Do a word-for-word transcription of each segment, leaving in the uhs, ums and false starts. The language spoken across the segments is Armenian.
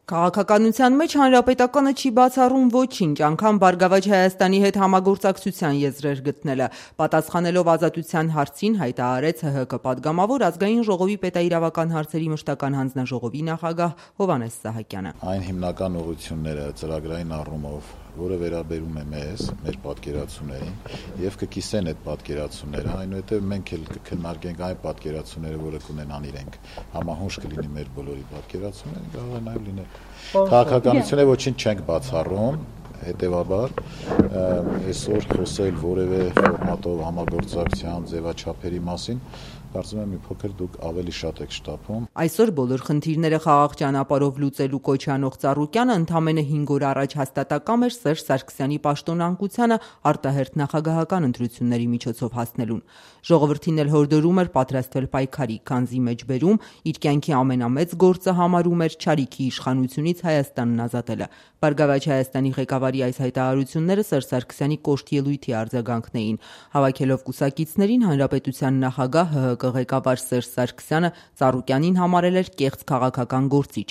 Քաղաքականության մեջ հանրապետականը չի բացառում ոչինչ, անգամ Բարգավաճ Հայաստանի հետ համագործակցության եզրեր գտնելը։ Պատասխանելով Ազատության հարցին հայտարարեց ՀՀԿ պատգամավոր Ազգային ժողովի պետաիրավական հարցերի մշտական հանձնաժողովի նախագահ Հովհաննես Սահակյանը։ Այն հիմնական ուղղությունները ծրագրային առումով, որը վերաբերում է մեզ, մեր պատկերացումներին, եւ կկիսեն այդ պատկերացումները, այնուհետեւ մենք էլ կքննարկենք այն պատկերացումները, որը կունենան իրենք համահունչ կլինի մեր բոլորի պատկերացումները, կարող է նաեւ լինել։ Քաղաքականությունը ոչինչ չենք բացառում, հետեւաբար այսօր խոսել որևէ ֆորմատով համագործակցության ձևաչափերի մասին կարծում եմ մի փոքր դուք ավելի շատ եք շտապում։ Այսօր բոլոր խնդիրները խաղաղ ճանապարհով լուծելու կոչ անող Ծառուկյանը ընդամենը հինգ օր առաջ հաստատակամ էր Սերժ Սարգսյանի պաշտոնանկությանը արտահերթ նախագահական ընտրությունների միջոցով հասնելուն։ Ժողովրդին էլ հորդորում էր պատրաստվել պայքարի, քանզի մեջբերում իր կյանքի ամենամեծ գործը համարում էր չարիքի իշխանությունից Հայաստանն ազատելը։ Բարգավաճ Հայաստանի ղեկավարի այս հայտարարությունները Սերժ Սարգսյանի կոշտ ելույթի արձագանքն էին։ Հավաքելով կուսակիցներին, հանրապետության նախագահ ՀՀԿ ղեկավար Սերժ Սարգսյանը Ծառուկյանին համարել էր կեղծ քաղաքական գործիչ։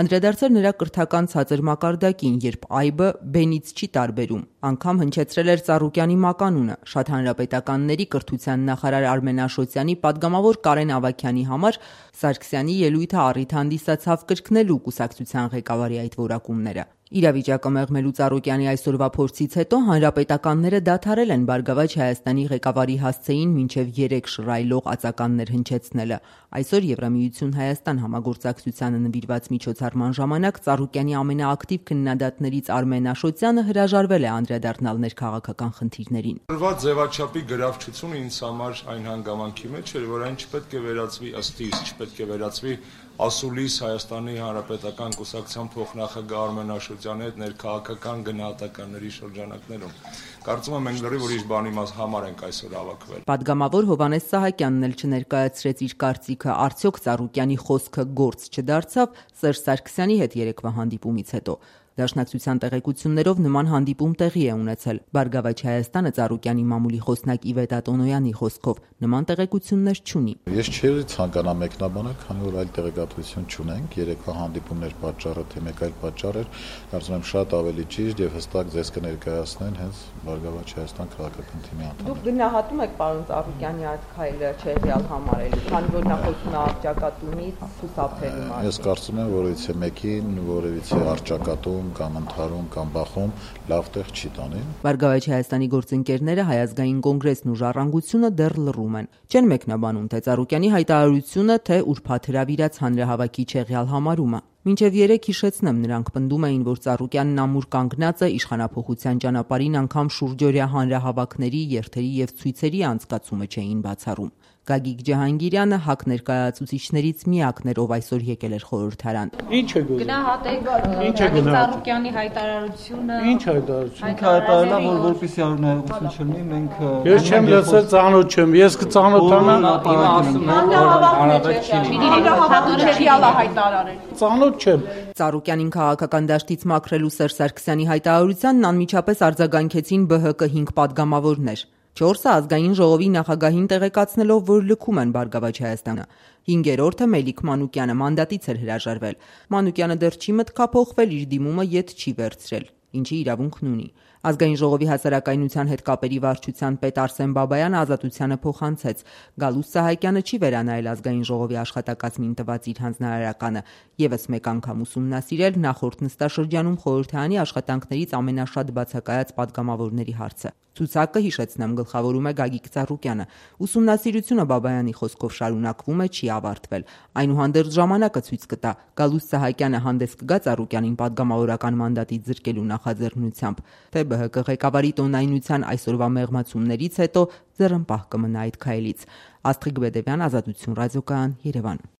Անդրադարձել նրա կրթական ցածր մակարդակին, երբ այբը բենից չի տարբերում։ Անգամ հնչեցրել էր Ծառուկյանի մականունը։ Շատ հանրապետականների կրթության նախարար Արմեն Աշոտյանի պատգամավոր Կարեն Ավագյանի համար Սարգսյանի ելույթը առիթ հանդիսացավ կրկնելու կուսակցության ղեկավարի այդ որակումները։ Իրավիճակը մեղմելու Ծառուկյանի այսօրվա փորձից հետո հանրապետականները դադարել են Բարգավաճ Հայաստանի ղեկավարի հասցեին մինչև երեք շռայլող ածականներ հնչեցնելը։ Այսօր Եվրամիություն Հայաստան համագործակցությանը նվիրված միջոցառման ժամանակ Ծառուկյանի ամենաակտիվ քննադատներից Արմեն Աշոտյանը հրաժարվել է անդրադառնալ ներքաղաքական խնդիրներին։ Ըլված ձևաչափի գրավչությունը ինձ համար այն հանգամանքի մեջ էր, որ այն չպետք է վերածվի ըստ իս, չպետք է վերածվի ասուլիս Հայաստանի Հանրապետական կուսակցության փոխնախագահ Արմեն Աշոտյանի հետ ներքաղաքական գնահատականների շրջանակներում։ Կարծում եմ մենք լրիվ ուրիշ բանի համար ենք այսօր հավաքվել։ Պատգամավոր Հովհաննես Սահակյանն էլ չներկայացրեց իր կարծիքը, արդյոք Ծառուկյանի խոսքը գործ չդարձավ Սերժ Սարգսյանի հետ երեկվա հանդիպումից հետո։ Դաշնակցության տեղեկություններով նման հանդիպում տեղի է ունեցել։ Բարգավաճ Հայաստանը Ծառուկյանի մամուլի խոսնակ Իվետ Ատոնոյանի խոսքով նման տեղեկություններ չունի։ Ես չէի ցանկանա մեկնաբանել, քանի որ այլ տեղեկատվություն չունենք, երեկվա հանդիպումներ պատճառը թե մեկ այլ պատճառ էր, կարծում եմ շատ ավելի ճիշտ եւ հստակ ձեզ կներկայացնեն հենց Բարգավաճ Հայաստան քաղաքական թիմի անդամները։ Դուք գնահատում եք պարոն Ծառուկյանի այդ քայլը չեղյալ համարելու, քանի որ նա խոսում է արճակատումից, խուսափելու մասին։ Ես կարծում եմ, որևիցե մեկին որևիցե արճակատում կամ ընթարում կամ բախում լավ տեղ չի տանի։ Բարգավաճ Հայաստանի գործընկերները Հայ ազգային կոնգրեսն ու Ժառանգությունը դեռ լռում են։ Չեն մեկնաբանում թե Ծառուկյանի հայտարարությունը, թե ուրբաթ հրավիրած հանրահավաքի չեղյալ համարումը։ Մինչև երեք հիշեցնեմ, նրանք պնդում էին, որ Ծառուկյանն ամուր կանգնած է իշխանափոխության ճանապարհին, անգամ շուրջօրյա հանրահավաքների, երթերի եւ ցույցերի անցկացումը չէին բացառում։ Գագիկ Ջահանգիրյանը ՀԱԿ ներկայացուցիչներից միակն էր, ով այսօր եկել էր խորհրդարան։ Ինչ է գոհ։ Գնահատեք Ծառուկյանի հայտարարությունը։ Ինչ հայտարարություն։ Ինքը հայտարարել է, որ որպեսզի արունահեղություն չլինի, մենք Ես չեմ լսել, ծանոթ չեմ։ Ես կծանոթանամ։ Ծանոթ չեմ։ Ծառուկյանին քաղաքական դաշտից մաքրելու Սերժ Սարգսյանի հայտարարությանն անմիջապես արձագանքեցին ԲՀԿ հինգ պատգամավորներ։ Չորսը ազգային ժողովի նախագահին տեղեկացնելով, որ լքում են Բարգավաճ Հայաստանը։ Հինգերորդը Մելիք Մանուկյանը մանդատից էր հրաժարվել։ Մանուկյանը դեռ չի մտքափոխվել, իր դիմումը ետ չի վերցրել, ինչի իրավունքն ունի։ Ազգային ժողովի հասարակայնության հետ կապերի վարչության պետ Արսեն Բաբայանը Ազատությանը փոխանցեց։ Գալուստ Սահակյանը չի վերանայել ազգային ժողովի աշխատակազմին տված իր հանձնարարականը, եւս մեկ անգամ ուսումնասիրել նախորդ նստաշրջանում խորհրդարանի աշխատանքներից ամենաշատ բացակայած պատգամավորների հարցը։ Ցուցակը, հիշեցնեմ, գլխավորում է Գագիկ Ծառուկյանը։ Ուսումնասիրությունը Բաբայանի խոսքով շարունակվում է, չի ավարտվել։ Այնուհանդերձ ժամանակը ցույց կտա, Գալուստ Սահակյանը հանդես կգա Ծառուկյանին պատգամավորական մանդատից զրկելու նախաձեռնությամբ, թե ԲՀԿ ղեկավարի տոնայնության այսօրվա մեղմացումներից հետո ձեռնպահ կմնա այդ քայլից։ Աստղիկ Բեդևյան, Ազատություն ռադիոկայան, Երևան։